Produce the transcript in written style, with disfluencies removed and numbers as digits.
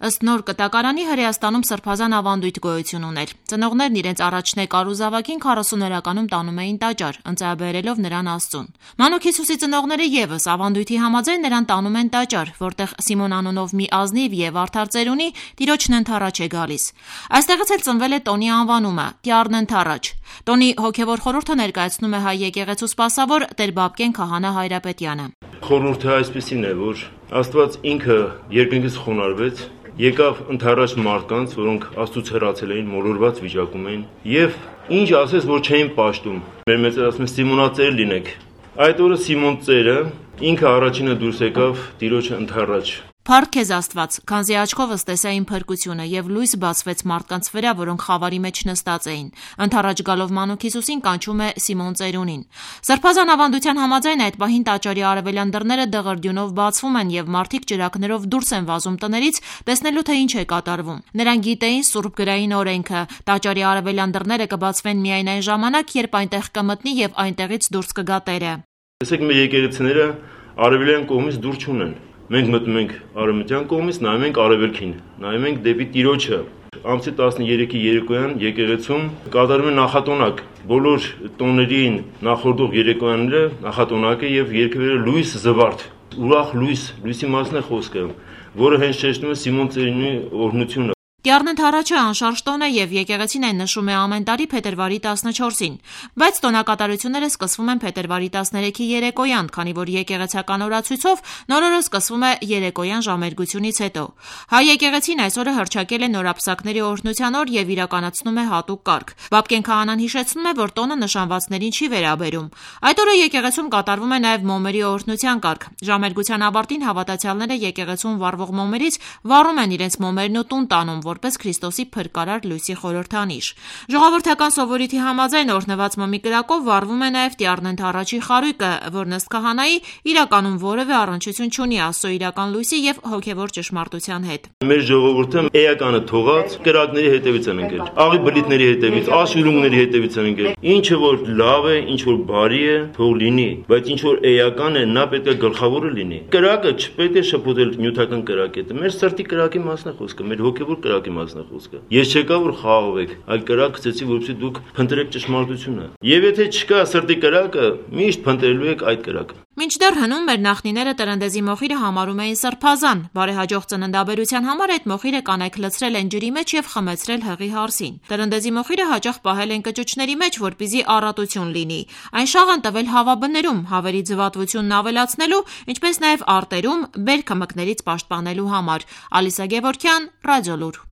Ըստ նոր կտակարանի Հրեաստանում սրբազան ավանդույթ գոյություն ուներ։ Ծնողներն իրենց առաջնե կարուզավակին 40-օրականում տանում էին տաճար, ընծայաբերելով նրան Աստծուն։ Մանուկ Հիսուսի ծնողները ևս ավանդույթի համաձայն նրան տանում են տաճար, որտեղ Սիմոն անունով մի ազնիվ եւ արդար ծերունի Տիրոջն ընթառաջ է գալիս։ Այստեղից էլ ծնվել է տոնի անվանումը՝ Տյառն ընթառաջ։ Տոնի հոգևոր խորհուրդը ներկայացնում է հայ եկեղեցու սպասավոր Տեր Բաբկեն քահանա Հայրապետյանը։ Խորհուրդը այսպեսին է, որ Աստված ինքը երկնքից խոնարհվեց, եկավ ընթառաջ մարդկանց, որոնք Աստծուց հեռացել էին, մոլորված վիճակում էին, եւ ինչ ասես, որ չէին պաշտում։ Մեր մեծեր ասում են Սիմոնածեր լինեք։ Այդ օրը Սիմոն ծերը ինքը առաջինը դուրս եկավ Տիրոջը ընթառաջ։ Փառք քեզ Աստված, քանզի աչքովս տեսա իմ փրկությունը եւ լույս բացվեց մարդկանց վրա, որոնք խավարի մեջ նստած էին։ Ընթառաջ գալով մանուկ Հիսուսին կանչում է Սիմոն ծերունին։ Սրբազան ավանդության համաձայն այդ պահին տաճարի արևելյան դռները դղրդյունով բացվում են եւ մարդիկ ճրագներով դուրս են վազում տներից, տեսնելու թե ինչ է կատարվում։ Նրանք գիտեին սուրբ գրային օրենքը՝ տաճարի արևելյան դռները կբացվեն միայն այն ժամանակ, երբ այնտեղ կմտնի եւ այնտեղից դուրս կգա Տերը։ Տեսեք, մեր եկեղեցիները արևելյան կողմից դուր չունեն։ Մենք մտնում ենք արևմտյան կողմից, նայում ենք արևելքին, նայում ենք դեպի Տիրոջը։ Ամսի 13-ի երեկոյան եկեղեցում կատարում է նախատոնակ։ Բոլոր տոներին նախորդող երեկոյանները նախատոնակ է եւ երգվերը լույս զվարթ, ուրախ լույսի մասն է խոսքը, որը հենց շեշտում է Սիմոն ծերունի օրհնությունը։ Տյառն ընթառաջը անշարժ տոն է եւ եկեղեցին այն նշում է ամեն տարի փետրվարի 14-ին, բայց տոնակատարությունները սկսվում են փետրվարի 13-ի երեկոյան, քանի որ եկեղեցական օրացույցով նոր օրը սկսվում է երեկոյան ժամերգությունից հետո։ Հայ եկեղեցին այս օրը հռչակել է նորապսակների օրհնության օր եւ իրականացնում է հատուկ կարգ։ Բաբկեն քահանան հիշեցնում է, որ տոնը նշանվածներին չի վերաբերում։ Այդ օրը եկեղեցում կատարվում է նաեւ մոմերի օրհնության կարգ։ Ժամերգության ավարտին հավատացյալները եկեղեցում վառվող մոմերից վառում են իրենց մոմերն ու տուն տանում, որպես Քրիստոսի փրկարար լույսի խորհրդանիշ։ Ժողովրդական սովորույթի համաձայն օրհնված մոմի կրակով վառվում է նաև Տյառն ընթառաջի խարույկը, որն ըստ քահանայի իրականում որևէ առնչություն չունի Աստծո իրական լույսի եւ հոգեվոր ճշմարտության հետ։ Մեր ժողովուրդը էականը թողած կրակների հետևից են ընկել, աղի բլիթների հետևից, աշուրունգների հետևից են ընկել։ Ինչը որ լավ է, ինչ որ բարի է, թող լինի, բայց ինչ որ էական է, նա պետք է գլխավորը լինի։ Կրակը չպետք է շփոթել նյութական կրակի հետ։ Մեր սրտի կրակի մասն է խոսքը, մեր հոգեվոր կրակի մասն է խոսքը։ Ես չեկա որ խաղաղվեք, այլ կրակ գցեցի, որպեսզի դուք փնտրեք ճշմարտությունը։ Եվ եթե չկա սրտի կրակը, միշտ փնտրելու եք այդ կրակը։ Մինչդեռ հնում մեր նախնիները տրնդեզի մոխիրը համարում էին սրբազան։ Բարեհաջող ծննդաբերության համար այդ մոխիրը կանայք լցրել են ջրի մեջ եւ խմեցրել հղի հարսին։ Տրնդեզի մոխիրը հաճախ պահել են կճուճների մեջ, որպեսզի առատություն լինի։ Այն շաղ են տվել հավաբներում, հավերի ձվատվությունն ավելացնելու, ինչպես նաեւ արտերում բերքը մկներից պաշտպանելու համար։ Ալիսա Գևորգյան, Ռադիոլուր։